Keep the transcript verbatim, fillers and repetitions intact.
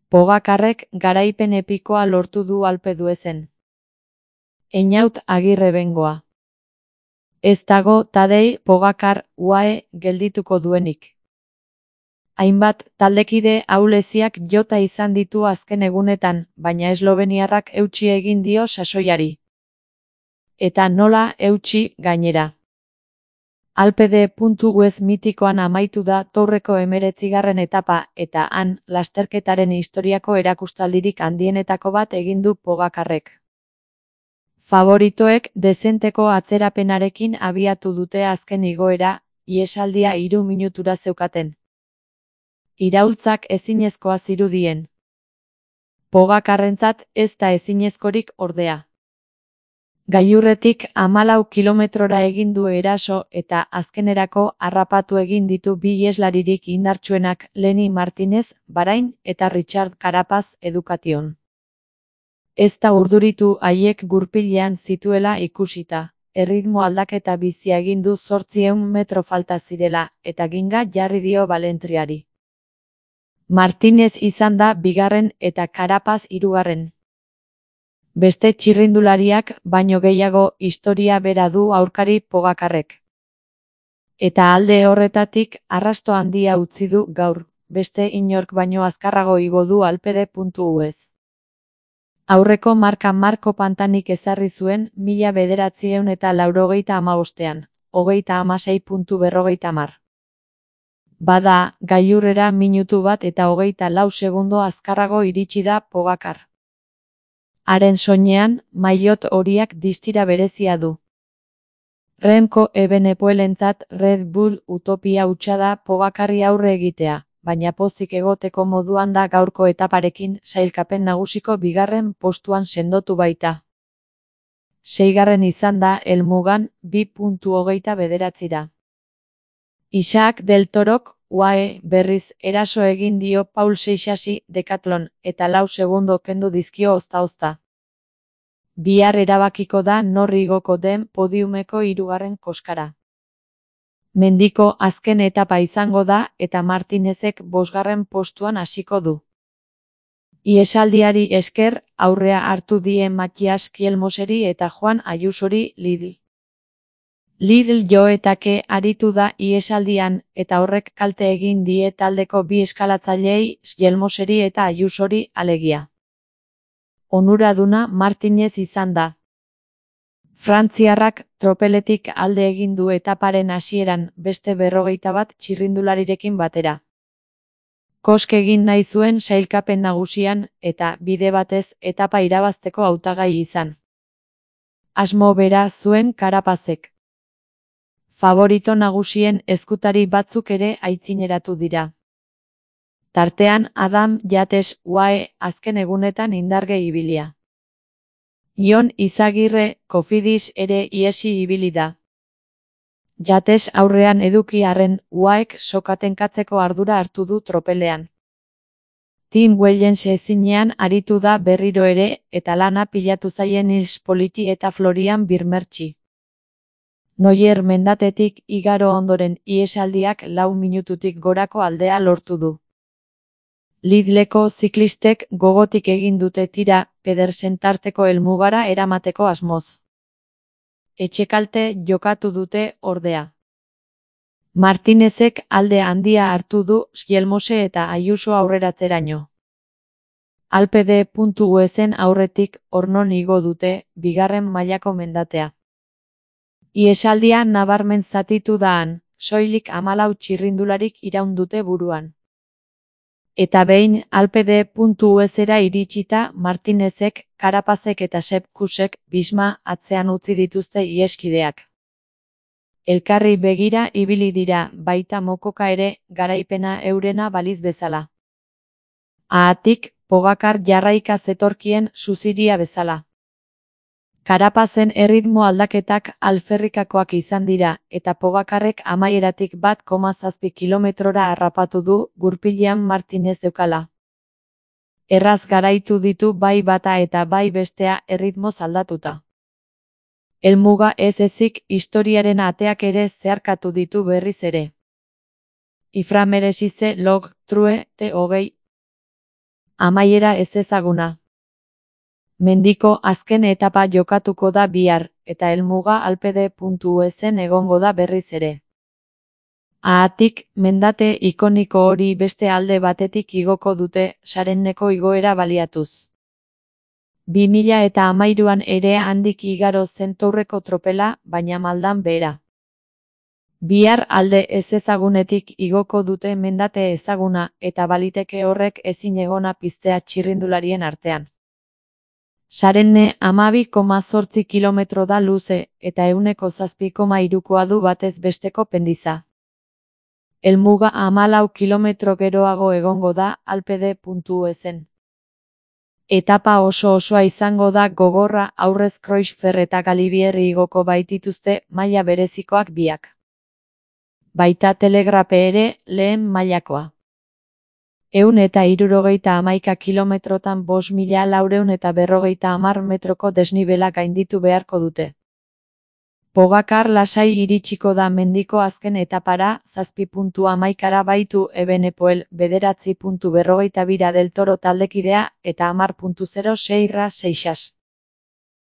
Pogakarrek garaipen epikoa lortu du Alpe d'Huezen. Einaut Agirre Bengoa. Ez dago Tadej Pogacar U A E geldituko duenik. Hainbat taldekide ahuleziak jota izan ditu azken egunetan, baina esloveniarrak eutsi egin dio sasoiari. Eta nola eutsi gainera. Alpe d'Huez mitikoan amaitu da Tourreko hemeretzigarren etapa eta han lasterketaren historiako erakustaldirik handienetako bat egin du Pogakarrek. Favoritoek dezenteko atzerapenarekin abiatu dute azken igoera, ihesaldia hiru minutura zeukaten. Iraultzak ezinezkoa zirudien. Pogakarrentzat ez da ezinezkorik ordea. Gailurretik hamalau kilometrora egin du eraso eta azkenerako harrapatu egin ditu bi iheslaririk indartsuenak Lenny Martinez, Bahrain eta Richard Carapaz Education. Ez da urduritu haiek gurpilean zituela ikusita, erritmo aldaketa bizia egin du zortziehun metro falta zirela eta ginga jarri dio Balentriari. Martinez izan da bigarren eta Carapaz hirugarren. Beste txirrindulariak baino gehiago historia bera du aurkari Pogakarrek. Eta alde horretatik arrasto handia utzi du gaur, beste inork baino azkarrago igo du Alpe d'Huez. Aurreko marka Marko Pantanik ezarri zuen mila bederatziehun eta laurogeita hamabostean, hogeita hamasei puntu berrogeita hamar. Bada, gailurrera minutu bat eta hogeita lau segundo azkarrago iritsi da Pogacar. Haren soinean, maillot horiak distira berezia du. Remco Evenepoelentzat Red Bull utopia hutsa da Pogacarri aurre egitea, baina pozik egoteko moduan da gaurko etaparekin sailkapen nagusiko bigarren postuan sendotu baita. Seigarren izan da helmugan bi puntu hogeita bederatzira. Isaac del Torok U A E berriz eraso egin dio Paul Seixasi Decathlon eta lau segundo kendu dizkio ozta-ozta. Bihar erabakiko da nor igoko den podiumeko hirugarren koskara. Mendiko azken etapa izango da eta Martinezek bosgarren postuan hasiko du. Ihesaldiari esker aurrea hartu die Matias Kielmoseri eta Juan Ayusori Lidl. Lidl joetake aritu da ihesaldian eta horrek kalte egin die taldeko bi eskalatzaileei Kielmoseri eta Ayusori alegia. Onuraduna Martinez izan da. Frantziarrak tropeletik alde egin du etaparen hasieran beste berrogeita bat txirrindularirekin batera. Kosk egin nahi zuen sailkapen nagusian eta bide batez etapa irabazteko hautagai izan. Asmo bera zuen Carapazek. Favorito nagusien ezkutari batzuk ere aitzineratu dira. Tartean Adam Yates U A E azken egunetan indarge ibilia. Jon Izagirre Cofidis ere iesi ibili da. Yates aurrean eduki arren U A Ek sokatenkatzeko ardura hartu du tropelean. Tim Wellens ezinean aritu da berriro ere eta lana pilatu zaien Nils Politi eta Florian Birmertzi. Noyer mendatetik igaro ondoren ihesaldiak lau minututik gorako aldea lortu du. Lidleko ziklistek gogotik egin dute tira Pedersen tarteko helmugara eramateko asmoz. Etxekalte jokatu dute ordea. Martinezek alde handia hartu du Kielmose eta Ayuso aurreratzeraino. Alpe d'Huezen aurretik ornon igo dute bigarren mailako mendatea. Ihesaldia nabarmen zatitu daan, soilik hamalau txirrindularik iraun dute buruan. Eta behin Alpe d'Huezera iritsita Martinezek, Carapazek eta Sepp Kussek Bisma atzean utzi dituzte iheskideak. Elkarri begira ibili dira baita mokoka ere garaipena eurena baliz bezala. Haatik, Pogacar jarraika zetorkien suziria bezala. Carapazen erritmo aldaketak alferrikakoak izan dira eta Pogacarrek amaieratik bat koma zazpi kilometrora harrapatu du gurpilean Martinez eukala. Erraz garaitu ditu bai bata eta bai bestea erritmoz aldatuta. Helmuga ez ezik historiaren ateak ere zeharkatu ditu berriz ere. Iframeresize log true te hogei. Amaiera ezezaguna. Mendiko azken etapa jokatuko da bihar, eta helmuga alpede puntu esen egongo da berriz ere. Haatik, mendate ikoniko hori beste alde batetik igoko dute, Sarenneko igoera baliatuz. bi mila eta hamairuan ere handik igaro zen Tourreko tropela, baina maldan behera. Bihar alde ezezagunetik igoko dute mendate ezaguna, eta baliteke horrek ezinegona piztea txirrindularien artean. Sarenne hamabi koma zortzi kilometro da luze, eta ehuneko zazpi koma hirukoa du batez besteko pendiza. Helmuga hamalau kilometro geroago egongo da alpede puntu esen. Etapa oso osoa izango da gogorra, aurrez Creutzfeldt eta Galibier igoko baitituzte maila berezikoak biak. Baita telegrape ere, lehen mailakoa. Ehun eta hirurogeita hamaika kilometrotan bost mila laurehun eta berrogeita hamar metroko desnibela gainditu beharko dute. Pogacar lasai iritsiko da mendiko azken etapara, zazpi puntu hamaikara baitu Evenepoel, bederatzi puntu berrogeita bira del Toro taldekidea, eta hamar puntu zero seira Seixas.